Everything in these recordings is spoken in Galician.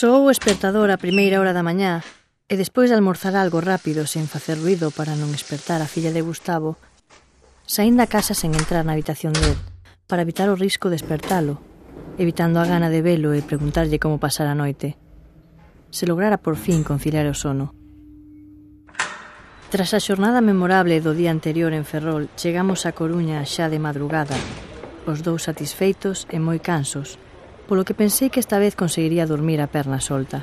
Soou o espertador a primeira hora da mañá e despois de almorzar algo rápido sen facer ruido para non espertar a filla de Gustavo, saín da casa sen entrar na habitación del para evitar o risco de espertalo, evitando a gana de velo e preguntarlle como pasara a noite. Se lograra por fin conciliar o sono. Tras a xornada memorable do día anterior en Ferrol, chegamos a Coruña xa de madrugada, os dous satisfeitos e moi cansos, polo que pensei que esta vez conseguiría dormir a perna solta.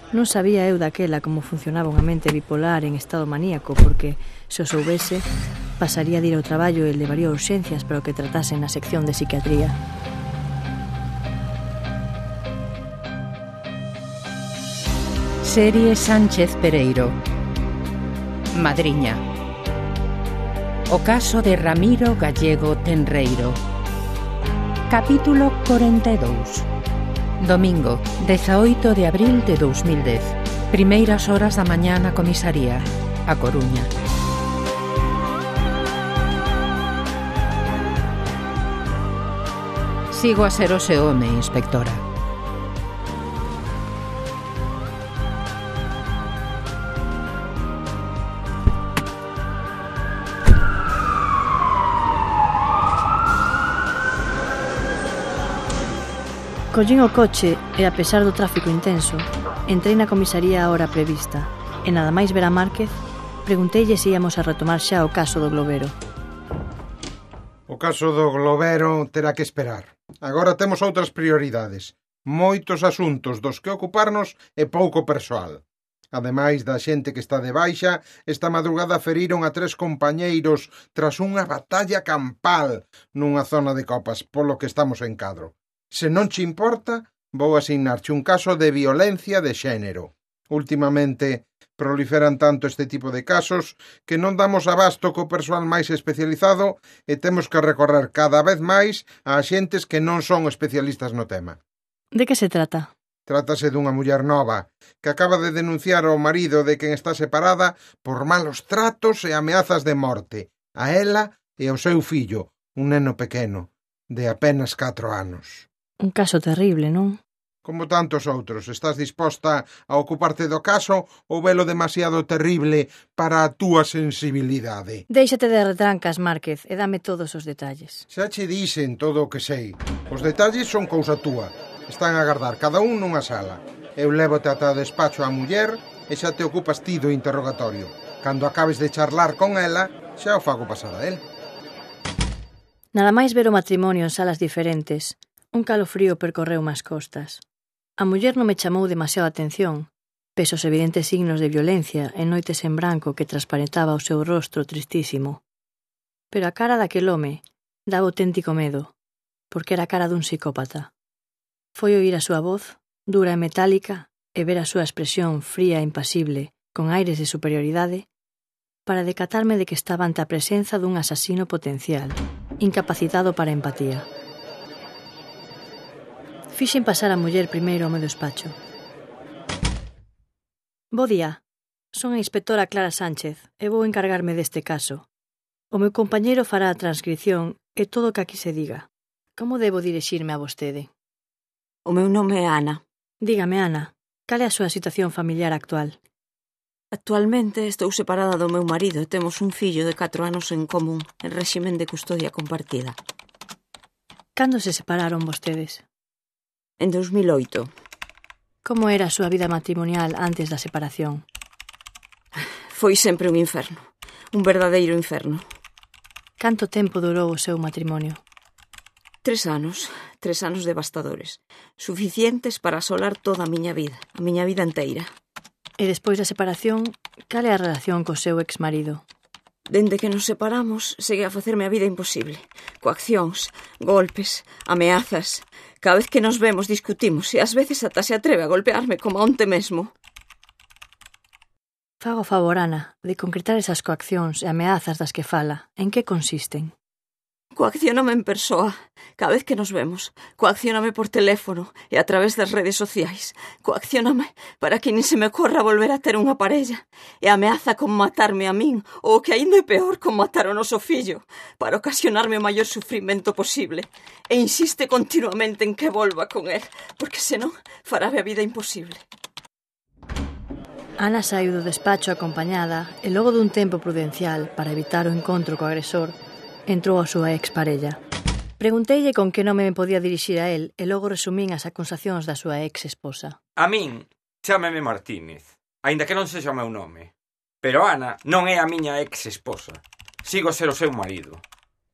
Non sabía eu daquela como funcionaba unha mente bipolar en estado maníaco, porque, se o soubese, pasaría de ir ao traballo e levaría urxencias para o que tratasen na sección de psiquiatría. Serie Sánchez Pereiro. Madriña. O caso de Ramiro Gallego Tenreiro. Capítulo 42. Domingo, 18 de abril de 2010. Primeiras horas da mañá na comisaría, A Coruña. Sigo a ser o seu home, inspectora. Collín o coche e, a pesar do tráfico intenso, entrei na comisaría a hora prevista e nada máis ver a Márquez, pregunteille se íamos a retomar xa o caso do Globero. O caso do Globero terá que esperar. Agora temos outras prioridades. Moitos asuntos dos que ocuparnos e pouco persoal. Ademais da xente que está de baixa, esta madrugada feriron a 3 compañeiros tras unha batalla campal nunha zona de Copas, polo que estamos en cadro. Se non che importa, vou asignarche un caso de violencia de xénero. Últimamente proliferan tanto este tipo de casos que non damos abasto co persoal máis especializado e temos que recorrer cada vez máis a axentes que non son especialistas no tema. De que se trata? Trátase dunha muller nova que acaba de denunciar ao marido de quen está separada por malos tratos e ameazas de morte, a ela e ao seu fillo, un neno pequeno, de apenas 4 anos. Un caso terrible, non? Como tantos outros, estás disposta a ocuparte do caso ou velo demasiado terrible para a túa sensibilidade? Déixate de retrancas, Márquez, e dame todos os detalles. Xa che dixen todo o que sei. Os detalles son cousa túa. Están a agardar cada un nunha sala. Eu lévote ata o despacho á muller e xa te ocupas ti do interrogatorio. Cando acabes de charlar con ela, xa o fago pasar a él. Nada máis ver o matrimonio en salas diferentes, un calofrío percorreu as costas. A muller non me chamou demasiada atención, pese os evidentes signos de violencia e noites en branco que transparentaba o seu rostro tristísimo. Pero a cara daquel home daba auténtico medo, porque era a cara dun psicópata. Foi oír a súa voz, dura e metálica, e ver a súa expresión fría e impasible, con aires de superioridade, para decatarme de que estaba ante a presenza dun asasino potencial, incapacitado para a empatía. Fixen pasar a muller primeiro ao meu despacho. Bo día, son a inspectora Clara Sánchez e vou encargarme deste caso. O meu compañeiro fará a transcripción e todo o que aquí se diga. Como debo dirixirme a vostede? O meu nome é Ana. Dígame, Ana, cal é a súa situación familiar actual? Actualmente estou separada do meu marido e temos un fillo de 4 anos en común, en réximen de custodia compartida. Cando se separaron vostedes? En 2008. Como era a súa vida matrimonial antes da separación? Foi sempre un inferno. Un verdadeiro inferno. Canto tempo durou o seu matrimonio? 3 anos. 3 anos devastadores. Suficientes para asolar toda a miña vida inteira. E despois da separación, cal é a relación co seu exmarido? Dende que nos separamos, segue a facerme a vida imposible. Coaccións, golpes, ameazas. Cada vez que nos vemos discutimos e ás veces ata se atreve a golpearme como onte mesmo. Fago favor, Ana, de concretar esas coaccións e ameazas das que fala. En que consisten? Coaccióname en persoa, cada vez que nos vemos. Coaccióname por teléfono e a través das redes sociais. Coaccióname para que nin se me corra volver a ter unha parella. E ameaza con matarme a min, ou que aínda é peor, con matar o noso fillo, para ocasionarme o maior sufrimento posible. E insiste continuamente en que volva con él, porque senón farame a vida imposible. Ana saiu do despacho acompañada e logo dun tempo prudencial para evitar o encontro co agresor, entrou a súa exparella. Pregunteille con que nome me podía dirixir a él e logo resumín as acusacións da súa ex-esposa. A min, chámeme Martínez, aínda que non sexa o meu nome. Pero Ana non é a miña ex-esposa. Sigo a ser o seu marido.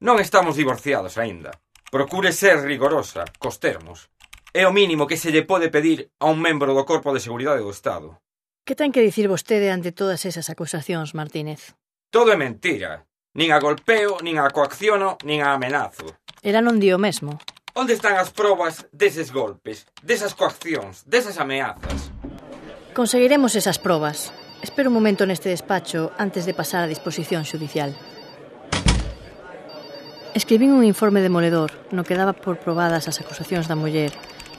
Non estamos divorciados aínda. Procure ser rigorosa, cos termos. É o mínimo que se lle pode pedir a un membro do Corpo de Seguridade do Estado. Que ten que dicir vostede ante todas esas acusacións, Martínez? Todo é mentira. Nin a golpeo, nin a coacciono, nin a amenazo. Ela non di o mesmo. Onde están as probas deses golpes, desas coaccións, desas ameazas? Conseguiremos esas probas. Espero un momento neste despacho antes de pasar a disposición xudicial. Escribín un informe demoledor no que daba por probadas as acusacións da muller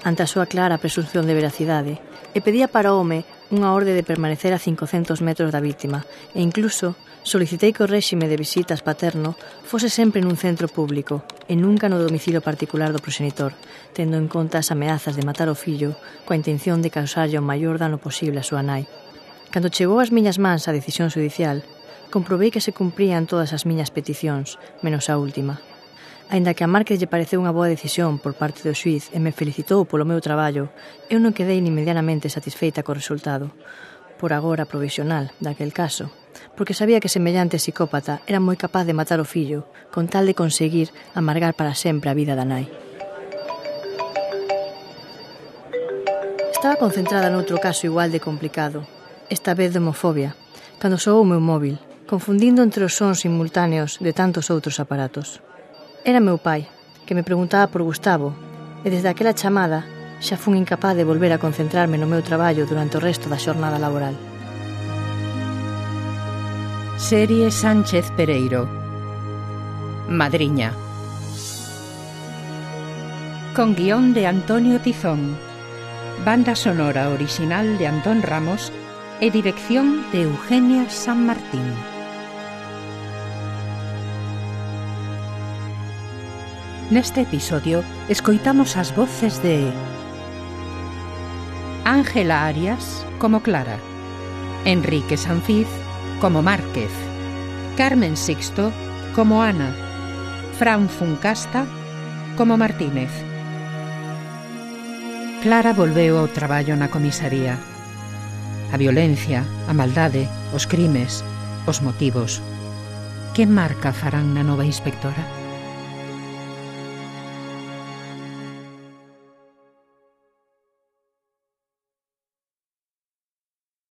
ante a súa clara presunción de veracidade e pedía para o home unha orde de permanecer a 500 metros da vítima e incluso solicitei que o réxime de visitas paterno fose sempre nun centro público e nunca no domicilio particular do progenitor, tendo en conta as ameazas de matar o fillo coa intención de causarlle o maior dano posible a súa nai. Cando chegou ás miñas mans a decisión judicial, comprobei que se cumprían todas as miñas peticións, menos a última. Aínda que a Márquez lle pareceu unha boa decisión por parte do xuíz e me felicitou polo meu traballo, eu non quedei nin medianamente satisfeita co resultado, por agora provisional, daquel caso, porque sabía que semellante psicópata era moi capaz de matar o fillo con tal de conseguir amargar para sempre a vida da nai. Estaba concentrada noutro caso igual de complicado, esta vez de homofobia, cando soou o meu móvil, confundindo entre os sons simultáneos de tantos outros aparatos. Era meu pai, que me preguntaba por Gustavo, e desde aquela chamada xa fun incapaz de volver a concentrarme no meu traballo durante o resto da xornada laboral. Serie Sánchez Pereiro. Madriña. Con guión de Antonio Tizón, banda sonora original de Antón Ramos e dirección de Eugenia San Martín. Neste episodio escoitamos as voces de Ángela Arias como Clara, Enrique Sanfiz como Márquez, Carmen Sixto como Ana, Fran Funcasta como Martínez. Clara volveu ao traballo na comisaría. A violencia, a maldade, os crimes, os motivos. Que marca farán na nova inspectora?